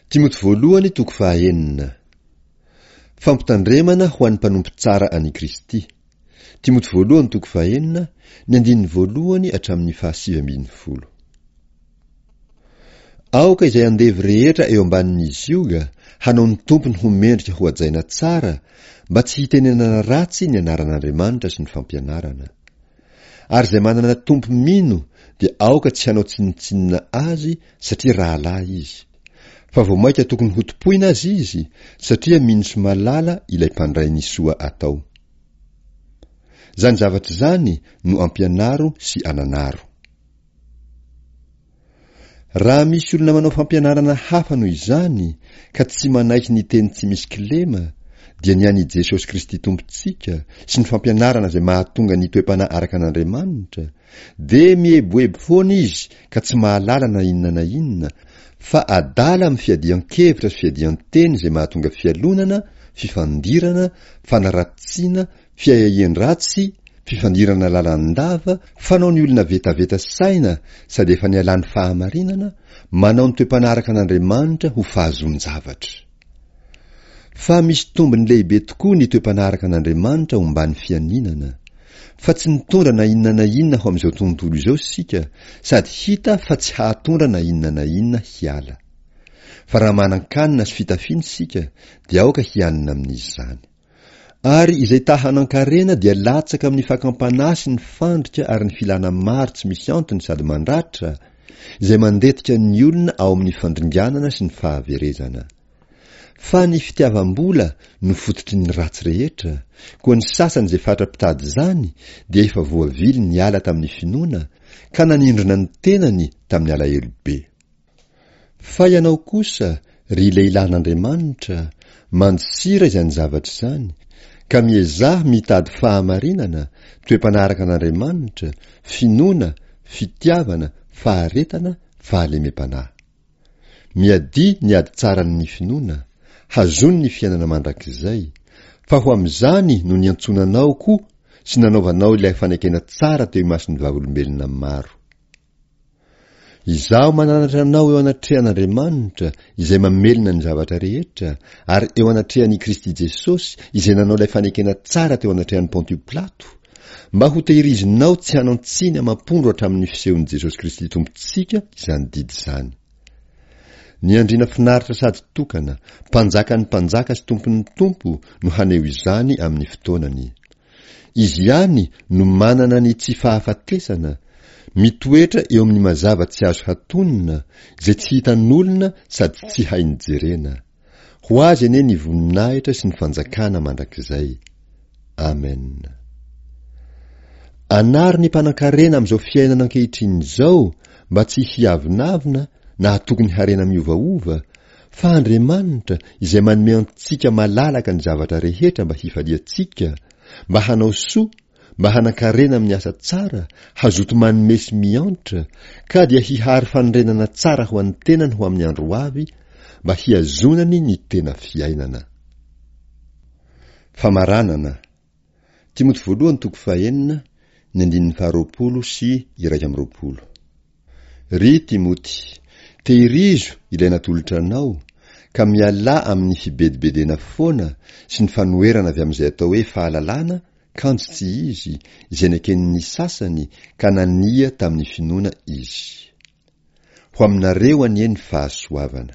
Timoty voalohany toko fahaenina. Fampitandremana ho an'ny mpanompo tsara an'i Kristy. Timoty voalohany toko fahenina, ny andininy voalohany hatramin'ny fahasivy ambin'ny folo. Aoka izay andevo rehetra eo ambanin'ny zioga hanao ny tompony ho mendrika ho hajaina tsara mba tsy hitenenana ratsy ny anaran'Andriamanitra sy ny fampianarana. Ary izay manana tompo mino dia aoka tsy hanao tsinontsinona azy satria rahalahy izy. Fa vao mainka tokony hotompoina aza izy satria mino sy malala ilay mpandray ny soa atao. Izany zavatra izany no ampianaro sy ananaro. Raha misy olona manao fampianarana hafa noho izany ka tsy manaiky ny teny tsy misy kilema dia ny an' i Jesosy Kristy Tompontsika sy ny fampianarana izay mahatonga ny toe-panahy araka an' Andriamanitra dia mieboebo foana izy ka tsy mahalala na inona na inona fa adala amin'ny fiadian-kevitra sy fiadian-teny izay mahatonga fialonana, fifandirana, fanaratsiana, fiahiahian-dratsy, fifandirana lalandava, fanao ny olona vetaveta saina sady efa nialany fahamarinana, manao ny toe-panaraka an'Andriamanitra ho fahazoan-javatra. Fa misy tombony lehibe tokoa ny toe-panaraka an'Andriamanitra omban'ny fianinana. Fa tsy nitondra na inona na inona ho amin'izao tontolo izao isika, sady hita fa tsy hahatondra na inona na inona hiala. Fa raha manan-kanina sy fitafiana isika, dia aoka hianina amin'izany. Ary izay ta hanan-karena dia latsaka amin'ny fakam-panahy sy ny fandrika ary ny filana maro tsy misy antony sady mandratra, izay mandetika ny olona ao amin'ny fandringanana sy ny fahaverezana. Fa ny fitiavam-bola no fototry ny ratsy rehetra, koa ny sasany izay fatra-pitady izany dia efa voavily niala tamin'ny finoana ka nanindrona ny tenany tamin'ny alahelo be. Fa ianao kosa, ry lehilahin'Andriamanitra, mandosira izany zavatra izany, ka miezaha mitady fahamarinana, toe-panaraka an'Andriamanitra, finoana, fitiavana, faharetana, fahalemem-panahy. Miadia ny ady tsaran'ny finoana, hazony ny fiainana mandrakizay, fa ho amin'izany no niantsoana anao koa sy nanaovanao ilay fanekena tsara teo imason'ny vavolombelona maro. Izaho mananatra anao eo anatrehan'Andriamanitra izay mamelona ny zavatra rehetra, ary eo anatrehan'i Kristy Jesosy izay nanao ilay fanekena tsara teo anatrehan'i Pontio Pilato, mba hotehirizinao tsy hanan-tsiny amam-pondro hatramin'ny fisehon'i Jesosy Kristy Tompontsika izany didy izany. Ny andriana finaritra sady tokana, Mpanjakan'ny mpanjaka sy Tompon'ny tompo no haneho izany amin'ny fotoanany. Izy ihany no manana ny tsy fahafatesana, mitoetra eo amin'ny mazava tsy azo hatonina, izay tsy hitan'olona sady tsy hainy jerena. Ho Azy anie ny voninahitra sy ny fanjakana mandrakizay. Amen. Anaro ny mpanankarena amin'izao fiainana ankehitriny izao mba tsy hiavonavona na hatoky ny harena miovaova, Fa Andriamanitra, izay manome antsika malalaka ny zavatra rehetra mba hifaliantsika, mba hanao soa, mba hanan-karena amin'ny asa tsara, hazoto manome sy miantra, ka dia hihary fanorenana tsara ho an'ny tenany ho amin'ny andro ho avy, mba hihazonany ny tena fiainana. Famaranana. Timoty voalohany toko fahenina, ny andininy faharoapolo sy 21. Ry Timoty, tehirizo ilay natolotra anao, ka mialà amin'ny fibedibedena foana sy ny fanoherana avy amin'izay atao hoe fahalalana kanjo tsy izy, izay neken'ny sasany ka nania tamin'ny finoana izy. Ho aminareo anie ny fahasoavana.